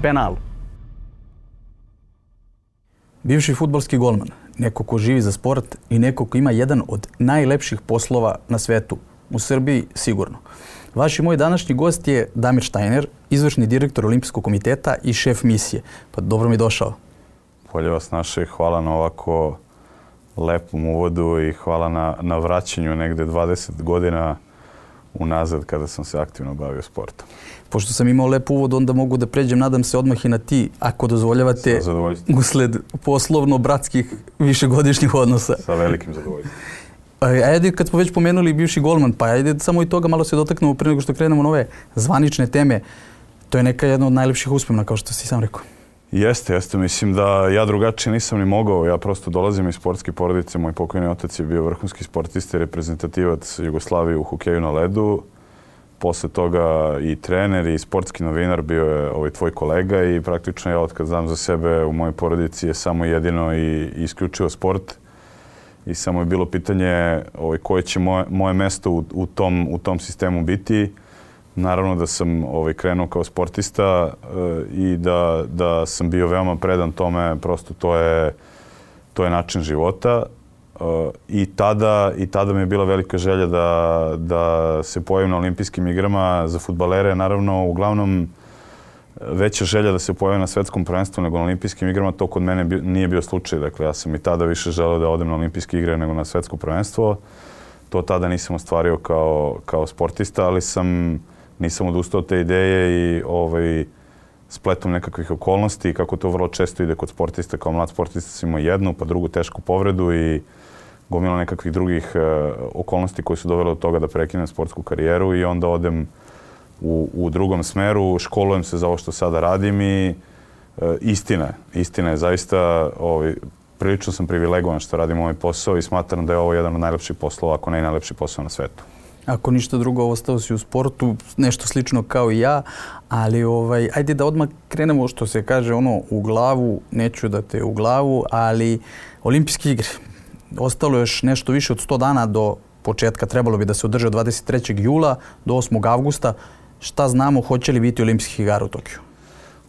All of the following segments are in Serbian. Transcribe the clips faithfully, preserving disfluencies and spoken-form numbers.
penal. Bivši fudbalski golman, neko ko živi za sport i neko ko ima jedan od najlepših poslova na svetu, u Srbiji sigurno. Vaš i moj današnji gost je Damir Štajner, izvršni direktor Olimpijskog komiteta i šef misije. Pa dobro mi došao. Bolje vas naše, hvala na ovako lepom uvodu i hvala na, na vraćanju negde dvadeset godina unazad kada sam se aktivno bavio sportom. Pošto sam imao lep uvod, onda mogu da pređem, nadam se, odmah i na ti, ako dozvoljavate, usled poslovno-bratskih višegodišnjih odnosa. Sa velikim zadovoljstvom. Ajde, kad smo već pomenuli bivši golman, pa ajde samo i toga malo se dotaknemo prije nego što krenemo na ove zvanične teme. To je neka jedna od najlepših uspomena, kao što si sam rekao. Jeste, jeste. Mislim da ja drugačije nisam ni mogao. Ja prosto dolazim iz sportske porodice. Moj pokojni otac je bio vrhunski sportista i reprezentativac Jugoslavije u hokeju na ledu. Posle toga i trener i sportski novinar bio je ovaj tvoj kolega i praktično ja otkad znam za sebe u mojoj porodici je samo jedino i isključivo sport. I samo je bilo pitanje ovaj, koje će moje, moje mesto u, u, tom, u tom sistemu biti. Naravno da sam ovaj, krenuo kao sportista e, i da, da sam bio veoma predan tome, prosto to je, to je način života. E, i, tada, I tada mi je bila velika želja da, da se pojavim na olimpijskim igrama za fudbalere. Naravno, uglavnom veća želja da se pojavim na svetskom prvenstvu nego na olimpijskim igrama, to kod mene bi, nije bio slučaj. Dakle, ja sam i tada više želeo da odem na olimpijske igre nego na svetsko prvenstvo. To tada nisam ostvario kao, kao sportista, ali sam, nisam odustao od te ideje i ovaj, spletom nekakvih okolnosti, kako to vrlo često ide kod sportista. Kao mlad sportista sam imao jednu, pa drugu tešku povredu i gomila nekakvih drugih uh, okolnosti koje su dovele do toga da prekinem sportsku karijeru i onda odem U, u drugom smeru, školujem se za ovo što sada radim i e, istina je, istina je zaista, ovaj, prilično sam privilegovan što radim ovaj posao i smatram da je ovo jedan od najlepših poslova, ako ne i najlepši posao na svetu. Ako ništa drugo, ostao si u sportu, nešto slično kao i ja, ali ovaj, ajde da odmah krenemo što se kaže ono u glavu, neću da te u glavu, ali olimpijske igre. Ostalo je još nešto više od sto dana do početka, trebalo bi da se održe od dvadeset trećeg jula do osmog avgusta. Šta znamo, hoće li biti olimpijskih igara u Tokiju?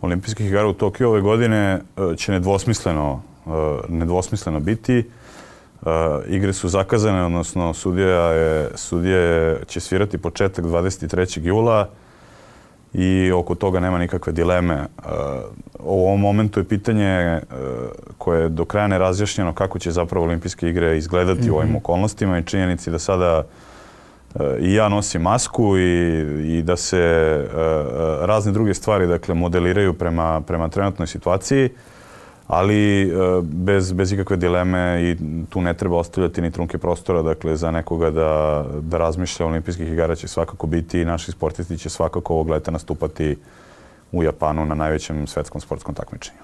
Olimpijskih igara u Tokiju ove godine će nedvosmisleno, nedvosmisleno biti. Igre su zakazane, odnosno sudija je, sudija će svirati početak dvadeset trećeg jula i oko toga nema nikakve dileme. U ovom momentu je pitanje koje je do kraja nerazjašnjeno kako će zapravo olimpijske igre izgledati mm-hmm. u ovim okolnostima i činjenici da sada i ja nosim masku i, i da se uh, razne druge stvari dakle, modeliraju prema, prema trenutnoj situaciji, ali uh, bez, bez ikakve dileme i tu ne treba ostavljati ni trunke prostora dakle, za nekoga da, da razmišlja. Olimpijskih igara će svakako biti i naši sportisti će svakako ovog leta nastupati u Japanu na najvećem svetskom sportskom takmičenju.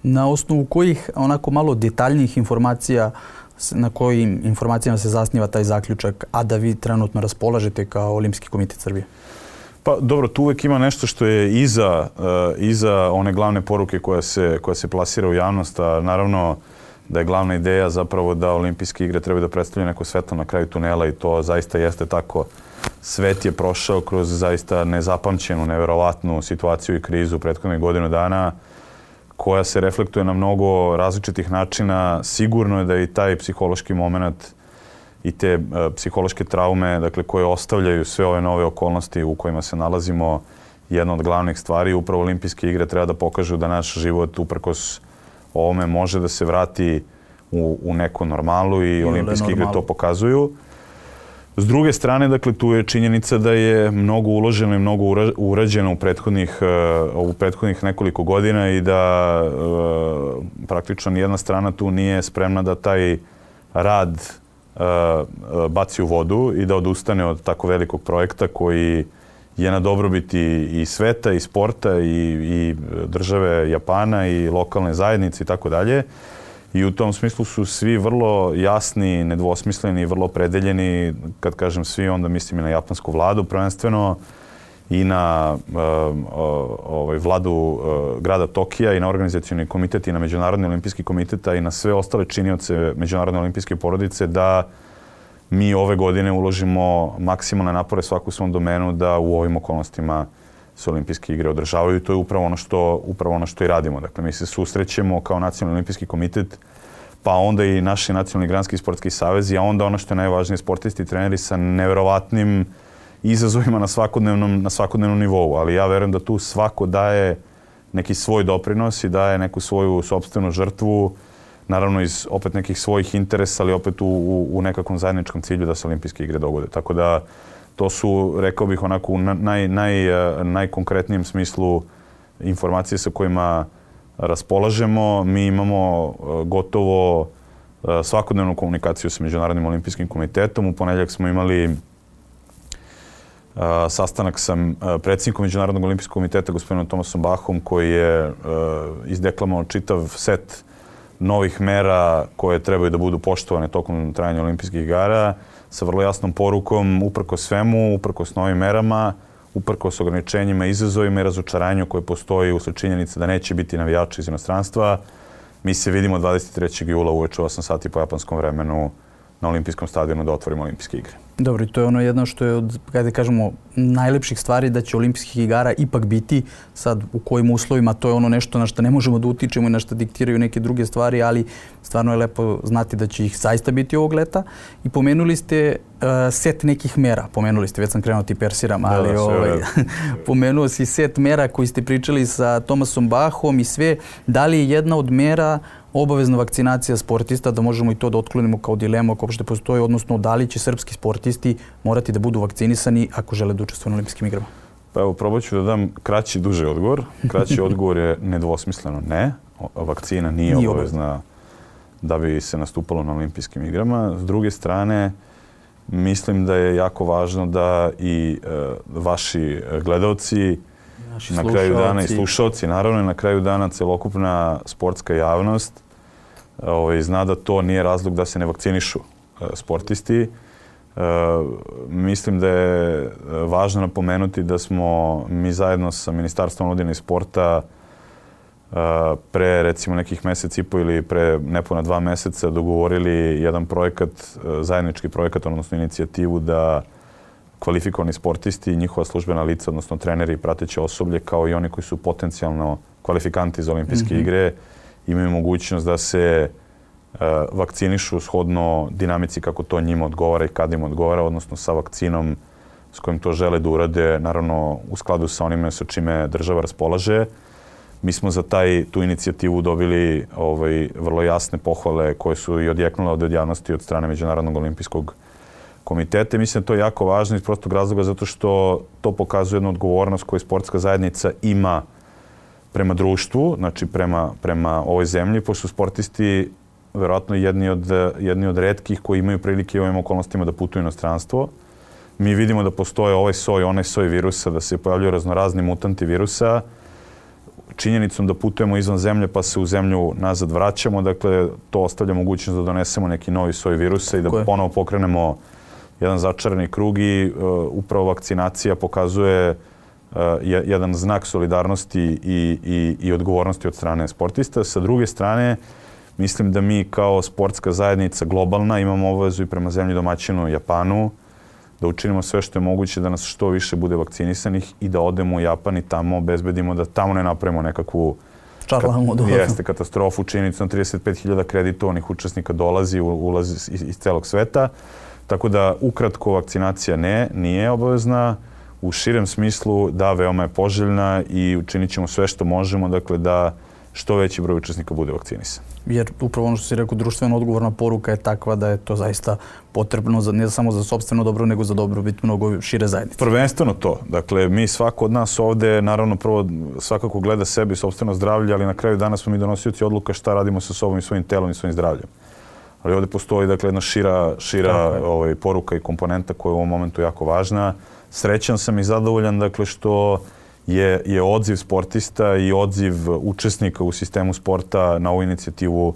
Na osnovu kojih onako malo detaljnijih informacija, na kojim informacijama se zasniva taj zaključak, a da vi trenutno raspolažete kao Olimpijski komitet Srbije? Pa dobro, tu uvek ima nešto što je iza, uh, iza one glavne poruke koja se, koja se plasira u javnost, a naravno da je glavna ideja zapravo da olimpijske igre trebaju da predstavljaju neko svetlo na kraju tunela i to zaista jeste tako. Svet je prošao kroz zaista nezapamćenu, neverovatnu situaciju i krizu prethodnih godinu dana koja se reflektuje na mnogo različitih načina. Sigurno je da i taj psihološki moment i te uh, psihološke traume, dakle, koje ostavljaju sve ove nove okolnosti u kojima se nalazimo, jedna od glavnih stvari. Upravo olimpijske igre treba da pokažu da naš život uprkos ovome može da se vrati u, u neku normalu i, I olimpijske igre to pokazuju. S druge strane, dakle, tu je činjenica da je mnogo uloženo i mnogo urađeno u prethodnih, uh, u prethodnih nekoliko godina i da uh, praktično nijedna strana tu nije spremna da taj rad uh, baci u vodu i da odustane od tako velikog projekta koji je na dobrobiti i sveta i sporta i, i države Japana i lokalne zajednice i tako dalje. I u tom smislu su svi vrlo jasni, nedvosmisleni, vrlo opredeljeni. Kad kažem svi, onda mislim i na japansku vladu prvenstveno i na uh, ovaj, vladu uh, grada Tokija i na organizacioni komitet i na Međunarodni olimpijski komitet i na sve ostale činioce Međunarodne olimpijske porodice da mi ove godine uložimo maksimalne napore svaku u svom domenu da u ovim okolnostima se olimpijske igre održavaju i to je upravo ono što, upravo ono što i radimo. Dakle, mi se susrećemo kao Nacionalni olimpijski komitet, pa onda i naši nacionalni granski sportski savezi, a onda ono što je najvažnije, sportisti i treneri sa neverovatnim izazovima na svakodnevnom, na svakodnevnom nivou. Ali ja verujem da tu svako daje neki svoj doprinos i daje neku svoju sopstvenu žrtvu, naravno iz opet nekih svojih interesa, ali opet u, u, u nekakvom zajedničkom cilju da se olimpijske igre dogode. Tako da to su, rekao bih, onako u naj, naj, najkonkretnijem smislu informacije sa kojima raspolažemo. Mi imamo gotovo svakodnevnu komunikaciju sa Međunarodnim olimpijskim komitetom. U ponedjeljak smo imali sastanak sa predsjednikom Međunarodnog olimpijskog komiteta, gospodinom Thomasom Bachom, koji je izdeklamovao čitav set novih mera koje trebaju da budu poštovane tokom trajanja olimpijskih igara, sa vrlo jasnom porukom, uprkos svemu, uprkos novim merama, uprkos ograničenjima, izazovima i razočaranju koje postoji usled činjenice da neće biti navijači iz inostranstva. Mi se vidimo dvadeset trećeg jula uveče u osam sati po japanskom vremenu na olimpijskom stadionu da otvorimo olimpijske igre. Dobro, i to je ono jedno što je od, kada kažemo, najlepših stvari da će olimpijskih igara ipak biti. Sad, u kojim uslovima, to je ono nešto na što ne možemo da utičemo i na što diktiraju neke druge stvari, ali stvarno je lepo znati da će ih zaista biti ovog leta. I pomenuli ste uh, set nekih mera. Pomenuli ste, već sam krenuo ti persiram, ali da, da, ovaj, pomenuo si set mera koji ste pričali sa Thomasom Bachom i sve. Da li je jedna od mera obavezna vakcinacija sportista, da možemo i to da otklonimo kao dilemu ako uopšte postoji, odnosno da li će srpski sportisti morati da budu vakcinisani ako žele da učestvuju na olimpijskim igrama? Pa evo, probat ću da dam kraći, duži odgovor. Kraći odgovor je nedvosmisleno ne. Vakcina nije, nije obavezna da bi se nastupalo na olimpijskim igrama. S druge strane, mislim da je jako važno da i e, vaši gledaoci, naši na kraju dana i slušalci, naravno i na kraju dana celokupna sportska javnost ovaj, zna da to nije razlog da se ne vakcinišu e, sportisti. E, mislim da je važno napomenuti da smo mi zajedno sa Ministarstvom omladine i sporta e, pre recimo nekih mesec i po ili pre nepuna dva meseca dogovorili jedan projekat, e, zajednički projekat, odnosno inicijativu da kvalifikovani sportisti i njihova službena lica, odnosno treneri i prateće osoblje, kao i oni koji su potencijalno kvalifikanti za olimpijske mm-hmm. igre, imaju mogućnost da se uh, vakcinišu shodno dinamici kako to njima odgovara i kad im odgovara, odnosno sa vakcinom s kojim to žele da urade, naravno u skladu sa onime sa čime država raspolaže. Mi smo za taj, tu inicijativu dobili ovaj, vrlo jasne pohvale koje su i odjeknule od javnosti od strane Međunarodnog olimpijskog komitete. Mislim da to je jako važno iz prostog razloga zato što to pokazuje jednu odgovornost koju sportska zajednica ima prema društvu, znači prema, prema ovoj zemlji, pošto su sportisti verovatno jedni od, jedni od retkih koji imaju prilike u ovim okolnostima da putuju u inostranstvo. Mi vidimo da postoje ovaj soj, onaj soj virusa, da se pojavljaju raznorazni mutanti virusa. Činjenicom da putujemo izvan zemlje pa se u zemlju nazad vraćamo, dakle to ostavlja mogućnost da donesemo neki novi soj virusa i da Koje? ponovo pokrenemo jedan začarani krug i uh, upravo vakcinacija pokazuje uh, jedan znak solidarnosti i, i, i odgovornosti od strane sportista. Sa druge strane, mislim da mi kao sportska zajednica globalna imamo obavezu i prema zemlji domaćinu Japanu da učinimo sve što je moguće da nas što više bude vakcinisanih i da odemo u Japan i tamo obezbedimo da tamo ne napravimo nekakvu Čarlamu, jeste katastrofu. Činjenicom trideset pet hiljada kreditovanih učesnika dolazi, ulazi iz, iz celog sveta. Tako da, ukratko, vakcinacija ne, nije obavezna. U širem smislu, da, veoma je poželjna i učinit ćemo sve što možemo, dakle, da što veći broj učesnika bude vakcinisan. Jer upravo ono što si rekao, društveno odgovorna poruka je takva da je to zaista potrebno za, ne samo za sopstveno dobro, nego za dobrobit mnogo šire zajednice. Prvenstveno to. Dakle, mi svako od nas ovde, naravno, prvo svakako gleda sebi sopstveno zdravlje, ali na kraju dana smo mi donosioci odluka šta radimo sa sobom i svojim telom i svojim zdravljem. Ali ovdje postoji, dakle, jedna šira, šira ovaj, poruka i komponenta koja je u ovom momentu jako važna. Srećan sam i zadovoljan, dakle, što je, je odziv sportista i odziv učesnika u sistemu sporta na ovu inicijativu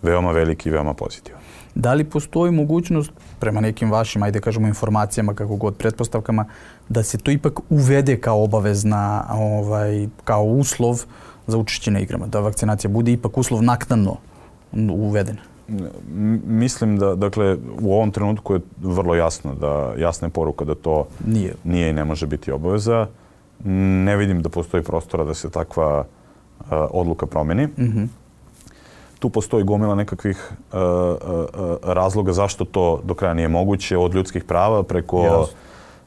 veoma veliki i veoma pozitivan. Da li postoji mogućnost, prema nekim vašim, ajde kažemo, informacijama, kako god, pretpostavkama, da se to ipak uvede kao obavezna, ovaj, kao uslov za učešće na igrama? Da vakcinacija bude ipak uslov naknadno uveden? Mislim da, dakle, u ovom trenutku je vrlo jasno da, jasna je poruka da to nije, nije i ne može biti obaveza. ne vidim da postoji prostora da se takva uh, odluka promeni. Mm-hmm. Tu postoji gomila nekakvih uh, uh, razloga zašto to do kraja nije moguće, od ljudskih prava preko yes.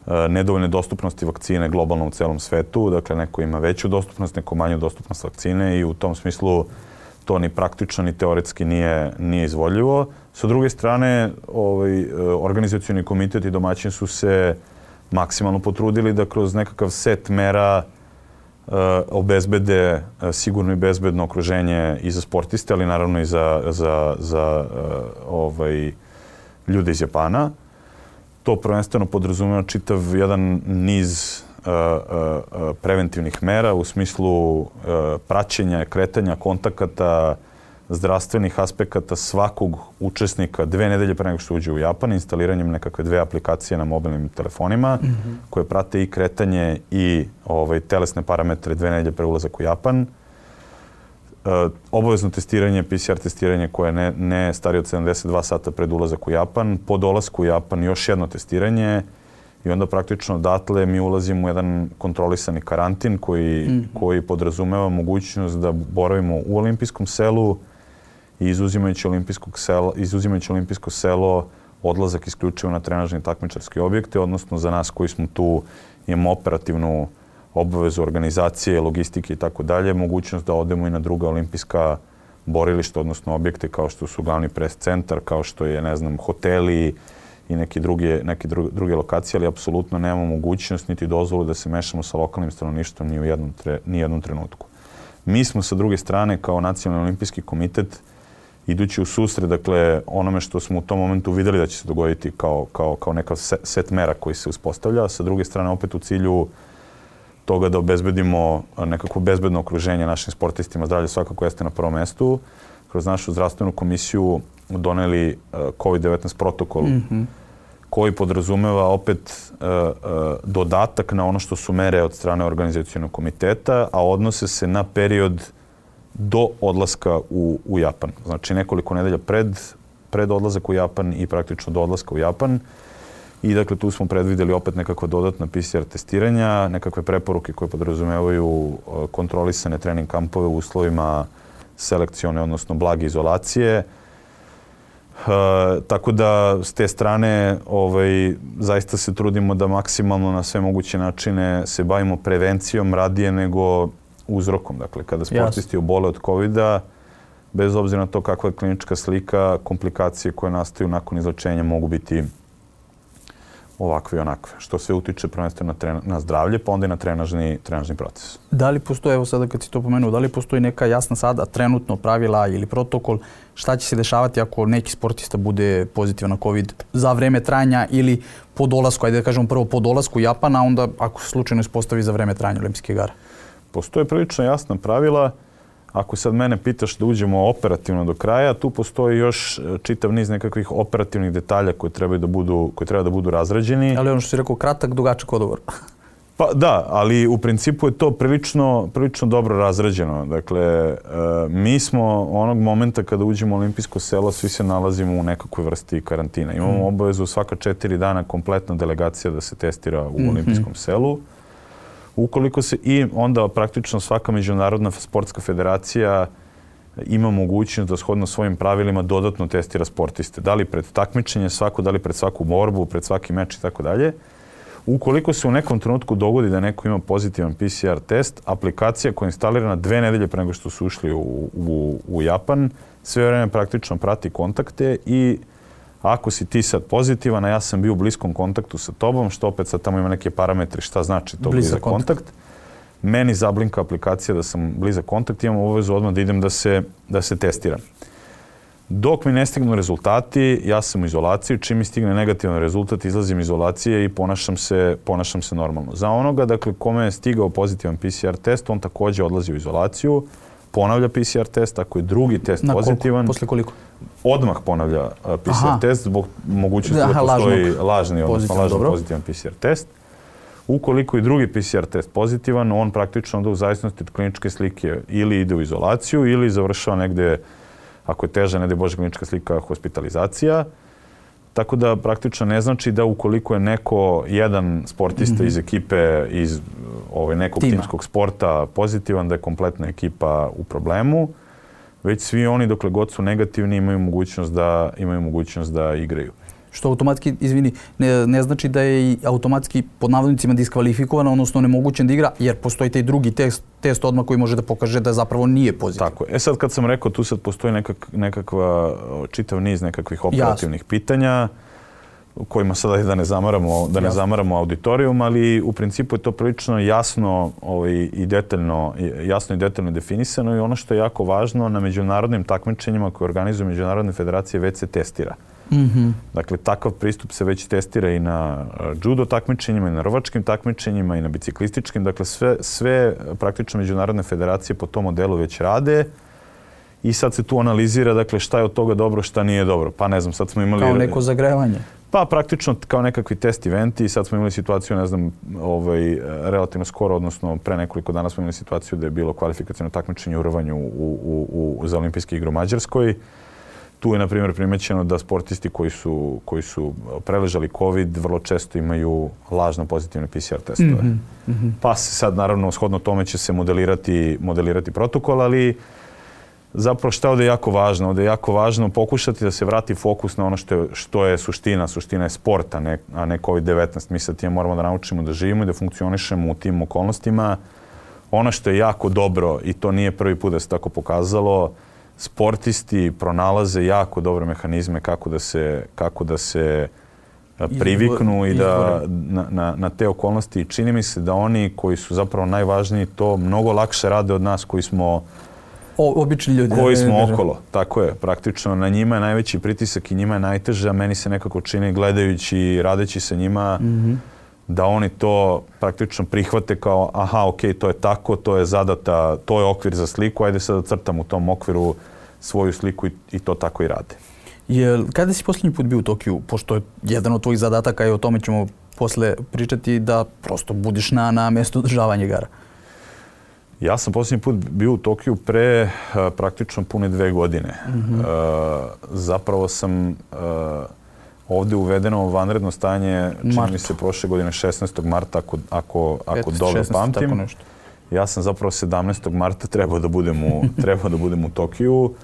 uh, nedovoljne dostupnosti vakcine globalno u celom svetu. Dakle, neko ima veću dostupnost, neko manju dostupnost vakcine i u tom smislu to ni praktično ni teoretski nije, nije izvodljivo. Sa druge strane, ovaj, organizacioni komitet i domaćin su se maksimalno potrudili da kroz nekakav set mera uh, obezbede uh, sigurno i bezbedno okruženje i za sportiste, ali naravno i za, za, za uh, ovaj, ljude iz Japana. To prvenstveno podrazumeva čitav jedan niz uh, uh, preventivnih mera u smislu uh, praćenja, kretanja, kontakata, zdravstvenih aspekata svakog učesnika dve nedelje pre nego što uđe u Japan, instaliranjem nekakve dve aplikacije na mobilnim telefonima mm-hmm. koje prate i kretanje i ovaj, telesne parametre dve nedelje pre ulazak u Japan. Uh, obavezno testiranje, P C R testiranje koje ne, ne starije od sedamdeset dva sata pred ulazak u Japan. Po dolasku u Japan još jedno testiranje i onda praktično odatle mi ulazimo u jedan kontrolisani karantin koji, mm-hmm. koji podrazumeva mogućnost da boravimo u olimpijskom selu i izuzimajući, olimpijskog sela, izuzimajući olimpijsko selo odlazak isključivo na trenažne takmičarske objekte, odnosno za nas koji smo tu imamo operativnu obavezu organizacije, logistike i tako dalje, mogućnost da odemo i na druga olimpijska borilišta, odnosno objekte kao što su glavni pres centar, kao što je, ne znam, hoteli i neke druge, neke druge lokacije, ali apsolutno nemamo mogućnost niti dozvolu da se mešamo sa lokalnim stanovništvom ni u jednom, tre, ni jednom trenutku. Mi smo sa druge strane kao Nacionalni olimpijski komitet idući u susret, dakle, onome što smo u tom momentu vidjeli da će se dogoditi kao, kao, kao neka set mera koji se uspostavlja, sa druge strane opet u cilju toga da obezbedimo nekako bezbedno okruženje našim sportistima, zdravlje svakako jeste na prvom mestu. Kroz našu zdravstvenu komisiju doneli kovid devetnaest protokol mm-hmm. koji podrazumeva opet uh, uh, dodatak na ono što su mere od strane organizacionog komiteta, a odnose se na period do odlaska u, u Japan. Znači nekoliko nedelja pred, pred odlazak u Japan i praktično do odlaska u Japan. I dakle tu smo predvidjeli opet nekakva dodatna P C R testiranja, nekakve preporuke koje podrazumevaju kontrolisane trening kampove u uslovima selekcione, odnosno blage izolacije. E, tako da s te strane ovaj, zaista se trudimo da maksimalno na sve moguće načine se bavimo prevencijom radije nego uzrokom. Dakle, kada sportisti obole od kovida, bez obzira na to kakva je klinička slika, komplikacije koje nastaju nakon izlečenja mogu biti ovakve i onakve, što sve utiče prvenstveno na, na zdravlje, pa onda i na trenažni, trenažni proces. Da li postoji, evo sada kad si to pomenuo, da li postoji neka jasna sada trenutno pravila ili protokol šta će se dešavati ako neki sportista bude pozitivan na COVID za vreme trajanja ili po dolasku, ajde da kažemo prvo po dolasku u Japan, a onda ako se slučajno ispostavi za vreme trajanja olimpijskih igara? Postoje prilično jasna pravila. Ako sad mene pitaš da uđemo operativno do kraja, tu postoji još čitav niz nekakvih operativnih detalja koji treba da budu, koji treba da budu razrađeni. Ali ono što si rekao, kratak, dugačak odgovor. Pa da, ali u principu je to prilično, prilično dobro razrađeno. Dakle, mi smo onog momenta kada uđemo u olimpijsko selo, svi se nalazimo u nekakvoj vrsti karantina. Imamo mm. obavezu svaka četiri dana kompletna delegacija da se testira u mm-hmm. olimpijskom selu. Ukoliko se i onda praktično svaka međunarodna sportska federacija ima mogućnost da shodno svojim pravilima dodatno testira sportiste. Da li pred takmičenje svako, da li pred svaku borbu, pred svaki meč i tako dalje. Ukoliko se u nekom trenutku dogodi da neko ima pozitivan P C R test, aplikacija koja je instalirana dve nedelje pre nego što su ušli u, u, u Japan, sve vreme praktično prati kontakte i ako si ti sad pozitivan, a ja sam bio u bliskom kontaktu sa tobom, što opet sad tamo ima neke parametri šta znači to blizak, blizak kontakt. kontakt, meni zablinka aplikacija da sam blizak kontakt, imam obavezu odmah da idem da se, da se testiram. Dok mi ne stignu rezultati, ja sam u izolaciji, čim mi stigne negativan rezultat, izlazim iz izolacije i ponašam se, ponašam se normalno. Za onoga, dakle, kome je stigao pozitivan P C R test, on također odlazi u izolaciju, ponavlja P C R test, ako je drugi test na pozitivan. Koliko? Posle koliko? Odmah ponavlja uh, P C R Aha. test zbog mogućnosti da, da postoji lažnog, lažni, odnosno lažno pozitivan P C R test. Ukoliko je drugi P C R test pozitivan, on praktično onda u zavisnosti od kliničke slike ili ide u izolaciju ili završava negde, ako je teža, ne daj Bože, klinička slika, hospitalizacija. Tako da praktično ne znači da ukoliko je neko, jedan sportista mm-hmm. iz ekipe, iz ovaj, nekog Tima. timskog sporta pozitivan, da je kompletna ekipa u problemu, već svi oni dokle god su negativni imaju mogućnost da, imaju mogućnost da igraju. Što automatski, izvini, ne, ne znači da je i automatski pod navodnicima diskvalifikovana, odnosno nemogućen da igra, jer postoji taj drugi test, test odmah koji može da pokaže da zapravo nije pozitivan. Tako je. E sad kad sam rekao, tu sad postoji nekak, nekakva, čitav niz nekakvih operativnih Jasne. pitanja, kojima sada da ne zamaramo, da ne zamaramo auditorijum, ali u principu je to prilično jasno ovaj, i detaljno, jasno i detaljno definisano i ono što je jako važno, na međunarodnim takmičenjima koje organizuju međunarodne federacije već se testira. Mm-hmm. Dakle, takav pristup se već testira i na judo takmičenjima, i na rvačkim takmičenjima, i na biciklističkim. Dakle, sve, sve praktično međunarodne federacije po tom modelu već rade i sad se tu analizira, dakle, šta je od toga dobro, šta nije dobro. Pa ne znam, sad smo imali... Kao neko zagrevanje. Pa praktično kao nekakvi test eventi. Sad smo imali situaciju, ne znam, ovaj, relativno skoro, odnosno pre nekoliko dana smo imali situaciju da je bilo kvalifikaciono takmičenje u rvanju u, u, u, za olimpijske igre u Mađarskoj. Tu je, na primjer, primećeno da sportisti koji su, koji su preležali COVID vrlo često imaju lažno pozitivne P C R testove. Mm-hmm. Mm-hmm. Pa se sad, naravno, shodno tome će se modelirati, modelirati protokol, ali zapravo šta je ovdje jako važno? Ovdje je jako važno pokušati da se vrati fokus na ono što je, što je suština. Suština je sport, a ne, a ne COVID devetnaest. Mi sad time moramo da naučimo da živimo i da funkcionišemo u tim okolnostima. Ono što je jako dobro, i to nije prvi put da se tako pokazalo, sportisti pronalaze jako dobre mehanizme kako da se, kako da se priviknu i da na, na, na te okolnosti. Čini mi se da oni koji su zapravo najvažniji to mnogo lakše rade od nas koji smo O, obični ljudi. Koji smo ne, ne, okolo. Tako je. Praktično na njima je najveći pritisak i njima je najteže, a meni se nekako čini gledajući i radeći sa njima mm-hmm. da oni to praktično prihvate kao aha, ok, to je tako, to je zadata, to je okvir za sliku, ajde sad da crtam u tom okviru svoju sliku i, i to tako i rade. Jel, kada si posljednji put bio u Tokiju, pošto je jedan od tvojih zadataka i o tome ćemo posle pričati, da prosto budiš na, na mjestu održavanja igara? Ja sam posljednji put bio u Tokiju pre uh, praktično pune dve godine. Mm-hmm. Uh, zapravo sam uh, ovdje uvedeno vanredno stanje, čini mi se prošle godine šesnaestog marta, ako, ako, ako dobro pamtim. Tako nešto. Ja sam zapravo sedamnaestog marta trebao da budem u, trebao da budem u Tokiju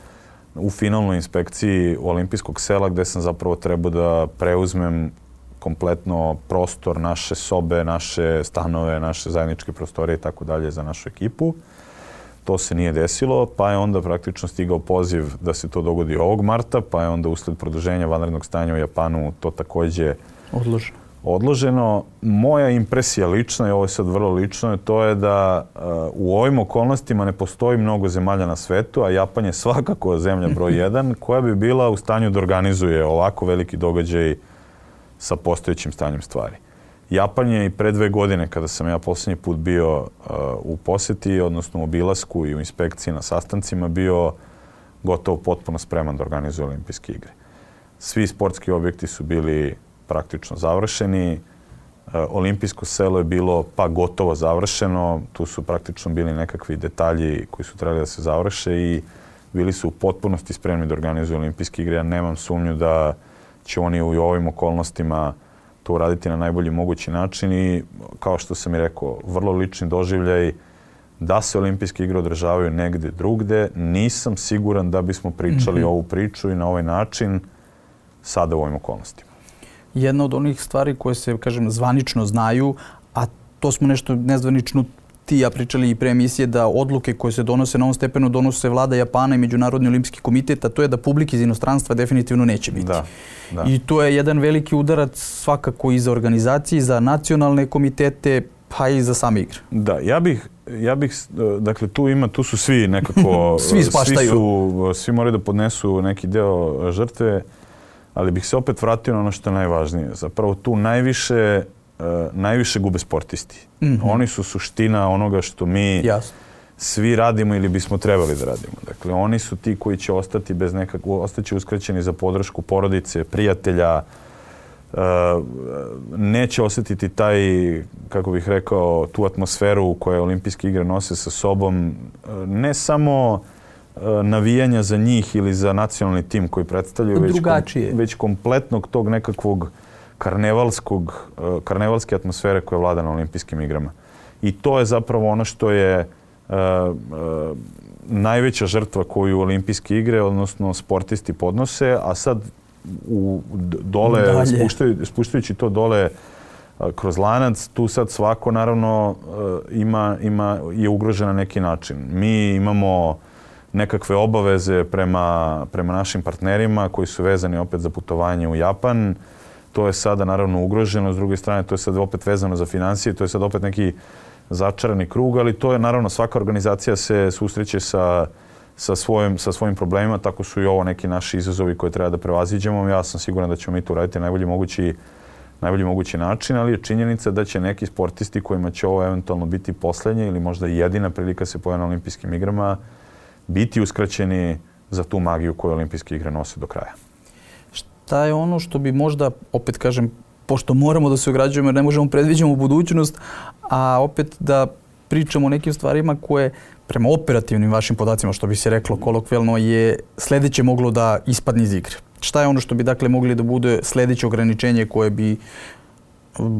u finalnoj inspekciji olimpijskog sela gdje sam zapravo trebao da preuzmem kompletno prostor, naše sobe, naše stanove, naše zajedničke prostorije i tako dalje za našu ekipu. To se nije desilo, pa je onda praktično stigao poziv da se to dogodi ovog marta, pa je onda usled produženja vanrednog stanja u Japanu to također odloženo. odloženo. Moja impresija lična, i ovo je sad vrlo lično, to je da uh, u ovim okolnostima ne postoji mnogo zemalja na svetu, a Japan je svakako zemlja broj jedan, koja bi bila u stanju da organizuje ovako veliki događaj sa postojećim stanjem stvari. Japan je i pre dve godine, kada sam ja posljednji put bio uh, u posjeti, odnosno u obilasku i u inspekciji na sastancima, bio gotovo potpuno spreman da organizuje olimpijske igre. Svi sportski objekti su bili praktično završeni. Uh, olimpijsko selo je bilo pa gotovo završeno. Tu su praktično bili nekakvi detalji koji su trebali da se završe i bili su u potpunosti spremni da organizuju olimpijske igre. Ja nemam sumnju da će oni u ovim okolnostima to uraditi na najbolji mogući način i, kao što sam i rekao, vrlo lični doživljaj da se olimpijske igre održavaju negde drugde. Nisam siguran da bismo pričali mm-hmm. ovu priču i na ovaj način sada u ovim okolnostima. Jedna od onih stvari koje se, kažem, zvanično znaju, a to smo nešto nezvanično ti ja pričali i pre emisije, da odluke koje se donose na ovom stepenu donose vlada Japana i Međunarodni olimpijski komitet, a to je da publike iz inostranstva definitivno neće biti. Da, da. I to je jedan veliki udarac svakako i za organizacije, za nacionalne komitete, pa i za same igre. Da, ja bih, ja bih, dakle tu ima, tu su svi nekako, svi spaštaju. Svi, su, svi moraju da podnesu neki deo žrtve, ali bih se opet vratio na ono što je najvažnije. Zapravo tu najviše Uh, najviše gube sportisti. Mm-hmm. Oni su suština onoga što mi Jasno. svi radimo ili bismo trebali da radimo. Dakle, oni su ti koji će ostati bez nekakvog, ostaće uskraćeni za podršku porodice, prijatelja, uh, neće osjetiti taj, kako bih rekao, tu atmosferu koju olimpijske igre nose sa sobom. Uh, ne samo navijanja za njih ili za nacionalni tim koji predstavljaju, već, kom, već kompletnog tog nekakvog karnevalskog, karnevalske atmosfere koja vlada na olimpijskim igrama. I to je zapravo ono što je uh, uh, najveća žrtva koju olimpijske igre, odnosno sportisti podnose, a sad u, dole, spuštaju, spuštajući to dole uh, kroz lanac, tu sad svako naravno uh, ima, ima, je ugrožen na neki način. Mi imamo nekakve obaveze prema, prema našim partnerima koji su vezani opet za putovanje u Japan. To je sada naravno ugroženo, s druge strane to je sad opet vezano za financije, to je sad opet neki začarani krug, ali to je naravno svaka organizacija se susreće sa, sa, svojim, sa svojim problemima, tako su i ovo neki naši izazovi koje treba da prevaziđemo. Ja sam siguran da ćemo mi to uraditi na najbolji mogući, najbolji mogući način, ali je činjenica da će neki sportisti kojima će ovo eventualno biti poslednje ili možda jedina prilika se pojave na olimpijskim igrama biti uskraćeni za tu magiju koju olimpijske igre nose do kraja. Šta je ono što bi možda, opet kažem, pošto moramo da se ograđujemo jer ne možemo predviđamo budućnost, a opet da pričamo o nekim stvarima koje prema operativnim vašim podacima, što bi se reklo kolokvijalno, je sledeće moglo da ispadne iz igre. Šta je ono što bi dakle mogli da bude sledeće ograničenje koje bi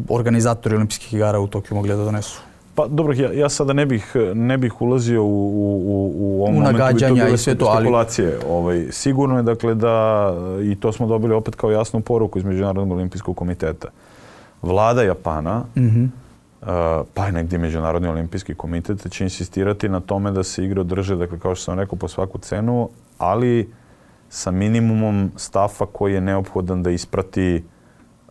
organizatori olimpijskih igara u Tokiju mogli da donesu? Pa dobro, ja, ja sada ne bih, ne bih ulazio u, u, u ovom u momentu bi to i sve to, spekulacije. Ali... Ovaj, sigurno je dakle da, i to smo dobili opet kao jasnu poruku iz Međunarodnog olimpijskog komiteta. Vlada Japana, mm-hmm. uh, pa i negdje Međunarodni olimpijski komitet će insistirati na tome da se igre održe, dakle kao što sam rekao, po svaku cenu, ali sa minimumom stafa koji je neophodan da isprati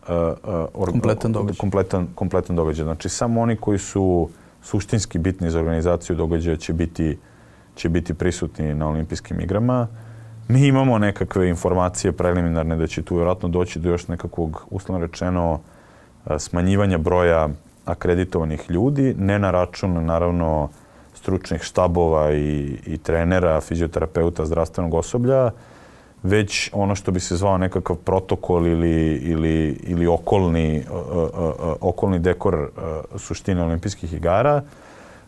Uh, uh, kompletan događaj. Kompletan, kompletan događaj. Znači, samo oni koji su suštinski bitni za organizaciju događaja će biti, će biti prisutni na olimpijskim igrama. Mi imamo nekakve informacije preliminarne da će tu vjerojatno doći do još nekakvog, uslovno rečeno, uh, smanjivanja broja akreditovanih ljudi, ne na račun, naravno, stručnih štabova i, i trenera, fizioterapeuta, zdravstvenog osoblja, već ono što bi se zvao nekakav protokol ili, ili, ili okolni, uh, uh, uh, okolni dekor uh, suštine olimpijskih igara.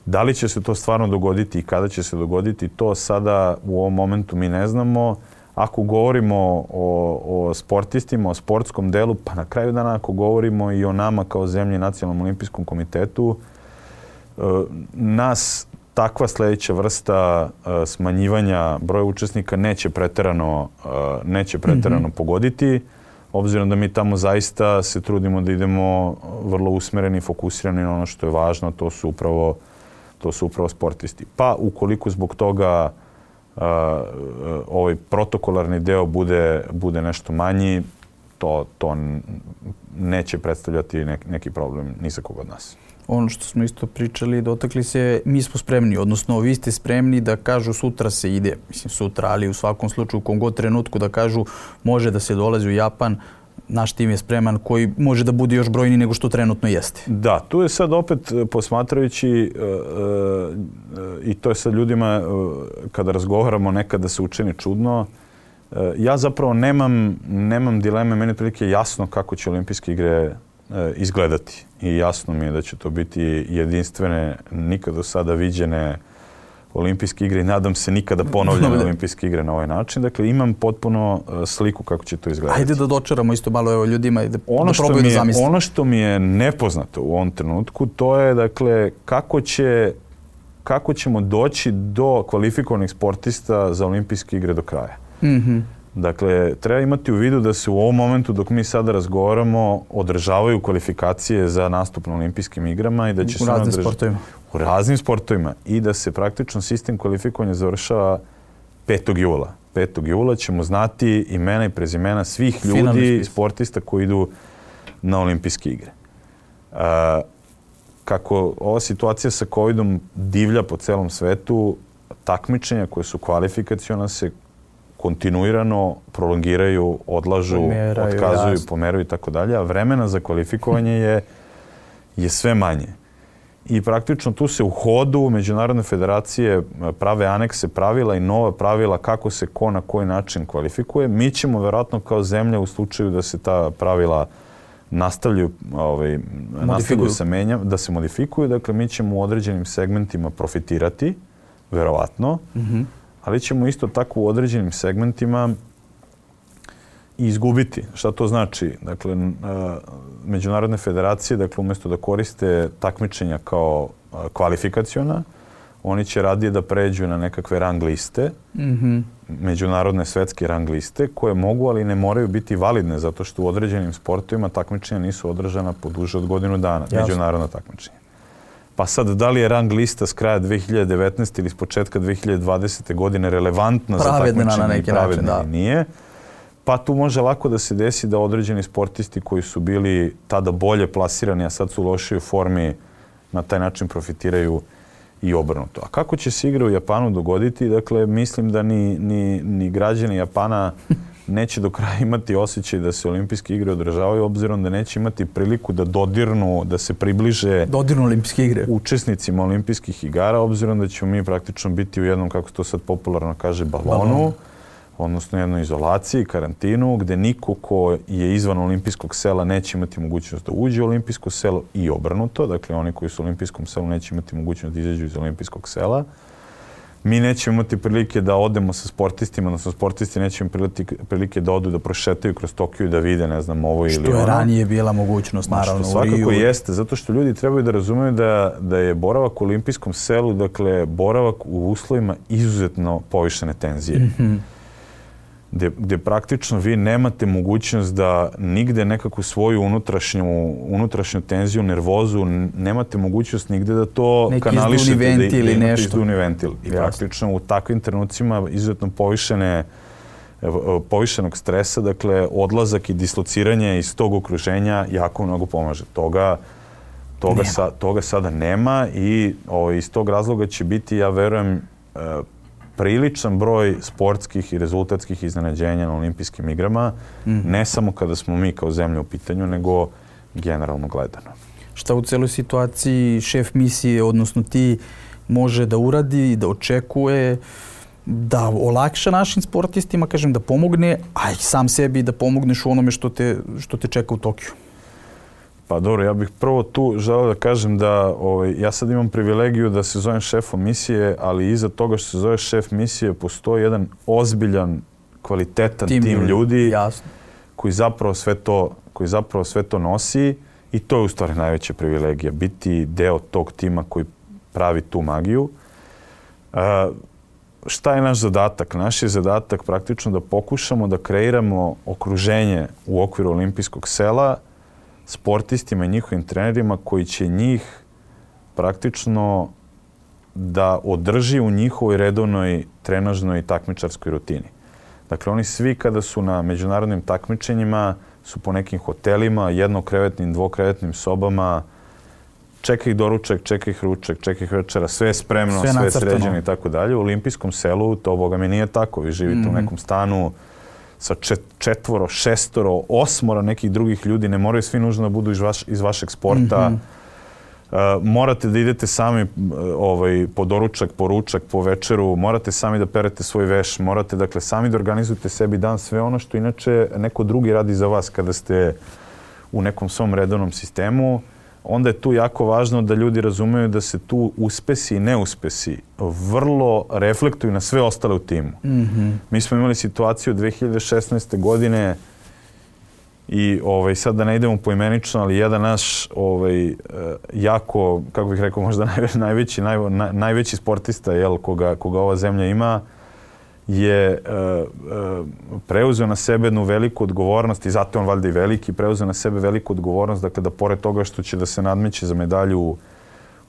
Da li će se to stvarno dogoditi i kada će se dogoditi, to sada u ovom momentu mi ne znamo. Ako govorimo o, o sportistima, o sportskom delu, pa na kraju dana ako govorimo i o nama kao zemlji Nacionalnom olimpijskom komitetu, uh, nas takva sljedeća vrsta uh, smanjivanja broja učesnika neće preterano, uh, neće preterano mm-hmm. pogoditi, obzirom da mi tamo zaista se trudimo da idemo vrlo usmereni i fokusirani na ono što je važno, to su upravo, to su upravo sportisti. Pa ukoliko zbog toga uh, ovaj protokolarni deo bude, bude nešto manji, to, to neće predstavljati neki, neki problem ni za koga od nas. Ono što smo isto pričali, dotakli se, mi smo spremni, odnosno vi ste spremni da kažu sutra se ide, mislim sutra, ali u svakom slučaju u kom god trenutku da kažu može da se dolazi u Japan, naš tim je spreman koji može da bude još brojniji nego što trenutno jeste. Da, tu je sad opet posmatrajući uh, uh, i to je sad ljudima uh, kada razgovaramo nekada se učini čudno. Uh, ja zapravo nemam, nemam dileme, meni je prilike jasno kako će olimpijske igre izgledati. I jasno mi je da će to biti jedinstvene, nikad do sada viđene olimpijske igre i nadam se nikada ponovljene olimpijske igre na ovaj način. Dakle, imam potpuno sliku kako će to izgledati. Ajde da dočaramo isto malo evo, ljudima i da, ono da probaju da zamisle. Ono što mi je nepoznato u ovom trenutku, to je dakle kako će kako ćemo doći do kvalifikovanih sportista za olimpijske igre do kraja. Mhm. Dakle, treba imati u vidu da se u ovom momentu dok mi sada razgovaramo održavaju kvalifikacije za nastup na olimpijskim igrama i da će u se raznim održ... sportovima. U raznim sportovima i da se praktično sistem kvalifikovanja završava petog jula. petog jula ćemo znati imena i prezimena svih ljudi i sportista koji idu na olimpijske igre. Uh, kako ova situacija sa covidom divlja po celom svetu, takmičenja koje su kvalifikaciona se kontinuirano prolongiraju, odlažu, pomeraju, otkazuju, jasno. pomeraju i tako dalje, a vremena za kvalifikovanje je, je sve manje. I praktično tu se u hodu Međunarodne federacije prave anekse pravila i nova pravila kako se ko na koji način kvalifikuje. Mi ćemo vjerojatno kao zemlja u slučaju da se ta pravila nastavljaju, ovaj, nastavljaju se menja, da se modifikuju. Dakle, mi ćemo u određenim segmentima profitirati, vjerovatno, mm-hmm. ali ćemo isto tako u određenim segmentima izgubiti. Šta to znači? Dakle, međunarodne federacije, dakle, umjesto da koriste takmičenja kao kvalifikaciona, oni će radije da pređu na nekakve rang liste, mm-hmm. međunarodne svetske rang liste, koje mogu, ali ne moraju biti validne, zato što u određenim sportovima takmičenja nisu održana po duže od godinu dana, Jasne. međunarodna takmičenja. Pa sad, da li je rang lista s kraja dve hiljade devetnaeste ili s početka dve hiljade dvadesete godine relevantna pravedna za takmičenje i pravedna način, da. nije? Pa tu može lako da se desi da određeni sportisti koji su bili tada bolje plasirani, a sad su u lošijoj formi, na taj način profitiraju i obrnuto. A kako će se igra u Japanu dogoditi? Dakle, mislim da ni, ni, ni građani Japana neće do kraja imati osjećaj da se olimpijske igre održavaju, obzirom da neće imati priliku da dodirnu, da se približe dodirnu olimpijske igre učesnicima olimpijskih igara, obzirom da ćemo mi praktično biti u jednom, kako se to sad popularno kaže, balonu, Balon. odnosno jednoj izolaciji, karantinu, gde niko ko je izvan olimpijskog sela neće imati mogućnost da uđe u olimpijsko selo i obrnuto. Dakle, oni koji su u olimpijskom selu neće imati mogućnost da izađu iz olimpijskog sela. Mi nećemo imati prilike da odemo sa sportistima, odnosno sportisti neće imati prilike da odu da prošetaju kroz Tokio i da vide, ne znam, ovo ili ono. Što je ranije bila mogućnost, naravno, u Riju. Svakako jeste, zato što ljudi trebaju da razumeju da, da je boravak u olimpijskom selu, dakle, boravak u uslovima izuzetno povišene tenzije. Mm-hmm. Gde, gde praktično vi nemate mogućnost da nigde nekakvu svoju unutrašnju, unutrašnju tenziju, nervozu, nemate mogućnost nigde da to neki kanališete. Neki izduvni ventil ili da nešto. Izduvni ventil. I Jasne. praktično u takvim trenucima izuzetno povišene, povišenog stresa, dakle odlazak i dislociranje iz tog okruženja jako mnogo pomaže. Toga, toga, sa, toga sada nema i o, iz tog razloga će biti, ja verujem, priličan broj sportskih i rezultatskih iznenađenja na olimpijskim igrama, mm. ne samo kada smo mi kao zemlja u pitanju, nego generalno gledano. Šta u celoj situaciji šef misije, odnosno ti, može da uradi, da očekuje, da olakša našim sportistima, kažem, da pomogne, a i sam sebi da pomogneš u onome što te, što te čeka u Tokiju? Pa dobro, ja bih prvo tu želeo da kažem da ovaj, ja sad imam privilegiju da se zovem šefom misije, ali iza toga što se zove šef misije postoji jedan ozbiljan, kvalitetan tim, tim ljudi Jasno. koji zapravo sve to, koji zapravo sve to nosi i to je u stvari najveća privilegija, biti deo tog tima koji pravi tu magiju. Uh, šta je naš zadatak? Naš je zadatak praktično da pokušamo da kreiramo okruženje u okviru olimpijskog sela sportistima i njihovim trenerima koji će njih praktično da održi u njihovoj redovnoj trenažnoj i takmičarskoj rutini. Dakle, oni svi kada su na međunarodnim takmičenjima su po nekim hotelima, jednokrevetnim, dvokrevetnim sobama, čeka ih doručak, čeka ih ručak, čeka ih večera, sve je spremno, sve, sve je sređeno i tako dalje. U olimpijskom selu to, boga mi, nije tako. Vi živite mm-hmm. u nekom stanu sa četvoro, šestoro, osmora nekih drugih ljudi, ne moraju svi nužno da budu iz, vaš, iz vašeg sporta. Mm-hmm. Uh, morate da idete sami ovaj, po doručak, po ručak, po večeru, morate sami da perete svoj veš, morate dakle sami da organizujete sebi dan, sve ono što inače neko drugi radi za vas kada ste u nekom svom redovnom sistemu. Onda je tu jako važno da ljudi razumeju da se tu uspesi i neuspesi vrlo reflektuju na sve ostale u timu. Mm-hmm. Mi smo imali situaciju dve hiljade šesnaeste. godine i ovaj, sad da ne idemo poimenično, ali jedan naš ovaj, jako, kako bih rekao, možda najveći, naj, najveći sportista jel, koga, koga ova zemlja ima, je uh, uh, preuzeo na sebe jednu veliku odgovornost i zato je on valjda i veliki, preuzeo na sebe veliku odgovornost, dakle da pored toga što će da se nadmeće za medalju u,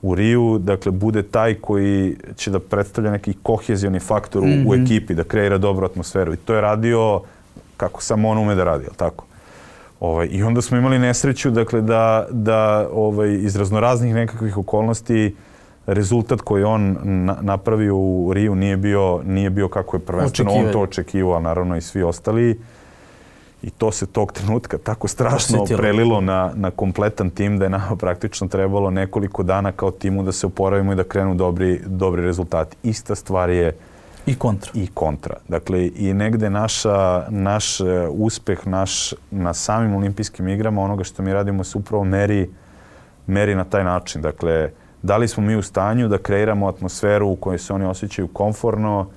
u Riju, dakle bude taj koji će da predstavlja neki kohezioni faktor mm-hmm. u, u ekipi, da kreira dobru atmosferu. I to je radio kako samo on ume da radi, jel tako? Ovaj, I onda smo imali nesreću, dakle da, da ovaj, iz raznoraznih nekakvih okolnosti rezultat koji on na, napravio u Riju nije bio, nije bio kako je prvenstveno on to očekivao, a naravno i svi ostali. I to se tog trenutka tako strašno Osjetilo. prelilo na, na kompletan tim da je nama praktično trebalo nekoliko dana kao timu da se oporavimo i da krenu dobri, dobri rezultati. Ista stvar je i kontra. I kontra. Dakle, i negde naša, naš uspeh naš, na samim olimpijskim igrama, onoga što mi radimo, se upravo meri, meri na taj način. Dakle, da li smo mi u stanju da kreiramo atmosferu u kojoj se oni osjećaju komforno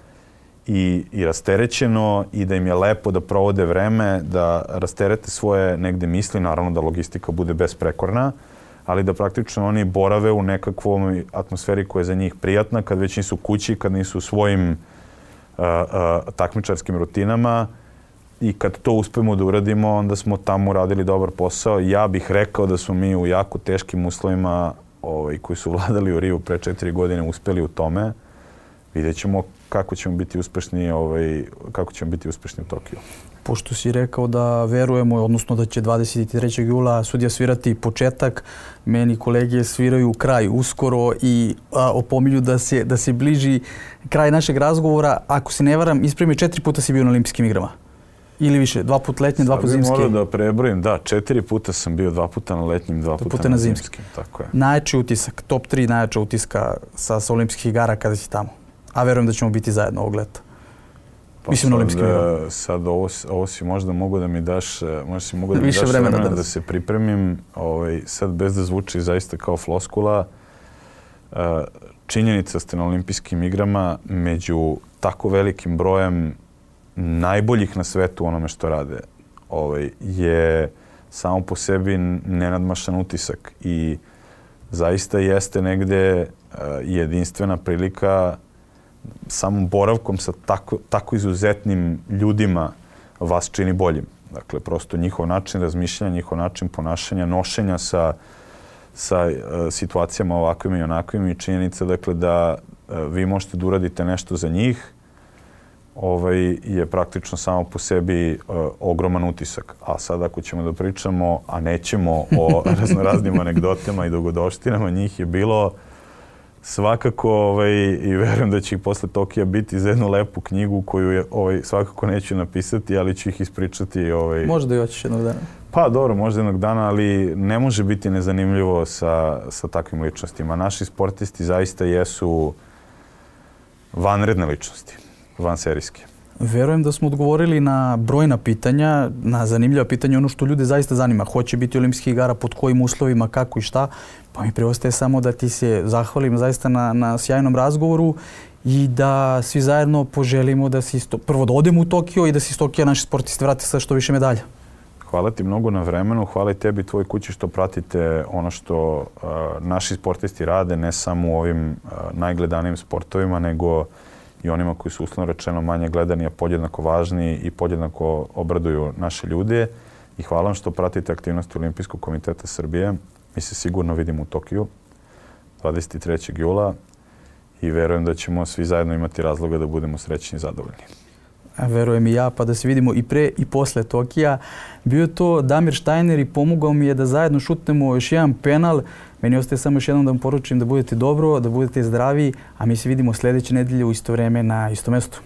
i, i rasterećeno i da im je lepo da provode vreme, da rasterete svoje negde misli, naravno da logistika bude besprekorna, ali da praktično oni borave u nekakvom atmosferi koja je za njih prijatna, kad već nisu kući, kad nisu u svojim uh, uh, takmičarskim rutinama i kad to uspemo da uradimo, onda smo tamo uradili dobar posao. Ja bih rekao da smo mi u jako teškim uslovima ovaj, koji su vladali u Riju pre četiri godine uspeli u tome. Vidjet ćemo kako ćemo biti uspešni, ovaj, kako ćemo biti uspešni u Tokiju. Pošto si rekao da verujemo, odnosno da će dvadeset trećeg jula sudija svirati početak, meni kolege sviraju kraj uskoro i a, opominju da se, da se bliži kraj našeg razgovora. Ako se ne varam, ispremi, četiri puta si bio na olimpijskim igrama. Ili više, dva put letnje, dva put zimske. Sad bih morao da prebrojim, da, četiri puta sam bio, dva puta na letnjim, dva puta, puta na zimskim. zimskim. Tako je. Najjači utisak, top tri najjača utiska sa, sa olimpijskih igara kada si tamo. A verujem da ćemo biti zajedno ovog leta. Pa Mislim na olimpijskim igrama. Sad ovo, ovo si možda mogu da mi daš, možda si mogu da mi daš vremena da, da se pripremim. Ovaj, sad bez da zvuči zaista kao floskula, činjenica ste na olimpijskim igrama među tako velikim brojem najboljih na svetu onome što rade ovaj, je samo po sebi nenadmašan utisak i zaista jeste negde uh, jedinstvena prilika samom boravkom sa tako, tako izuzetnim ljudima vas čini boljim. Dakle, prosto njihov način razmišljanja, njihov način ponašanja, nošenja sa, sa uh, situacijama ovakvim i onakvim i činjenica dakle, da uh, vi možete da uradite nešto za njih ovaj, je praktično samo po sebi uh, ogroman utisak. A sad ako ćemo da pričamo, a nećemo o raznoraznim anegdotama i dogodovštinama, njih je bilo svakako ovaj, i verujem da će ih posle Tokija biti za jednu lepu knjigu koju je, ovaj, svakako neću napisati, ali ću ih ispričati. Ovaj. Možda i hoćeš jednog dana. Pa dobro, možda jednog dana, ali ne može biti nezanimljivo sa, sa takvim ličnostima. Naši sportisti zaista jesu vanredne ličnosti. Vanserijske. Verujem da smo odgovorili na brojna pitanja, na zanimljiva pitanja, ono što ljude zaista zanima. Hoće biti olimpijskih igara, pod kojim uslovima, kako i šta. Pa mi preostaje samo da ti se zahvalim zaista na, na sjajnom razgovoru i da svi zajedno poželimo da si isto, prvo da odemo u Tokio i da se iz Tokija naši sportisti vrate sa što više medalja. Hvala ti mnogo na vremenu, hvala i tebi i tvojoj kući što pratite ono što uh, naši sportisti rade, ne samo u ovim uh, najgledanijim sportovima, nego i onima koji su uslovno rečeno manje gledani, a podjednako važni i podjednako obraduju naše ljude. I hvala vam što pratite aktivnosti Olimpijskog komiteta Srbije. Mi se sigurno vidimo u Tokiju dvadeset trećeg jula i verujem da ćemo svi zajedno imati razloga da budemo srećni i zadovoljni. A verujem i ja, pa da se vidimo i pre i posle Tokija. Bio to Damir Štajner i pomogao mi je da zajedno šutnemo još jedan penal. Meni ostaje samo još jednom da vam poručim da budete dobro, da budete zdravi, a mi se vidimo sljedeće nedelje u isto vreme na istom mestu.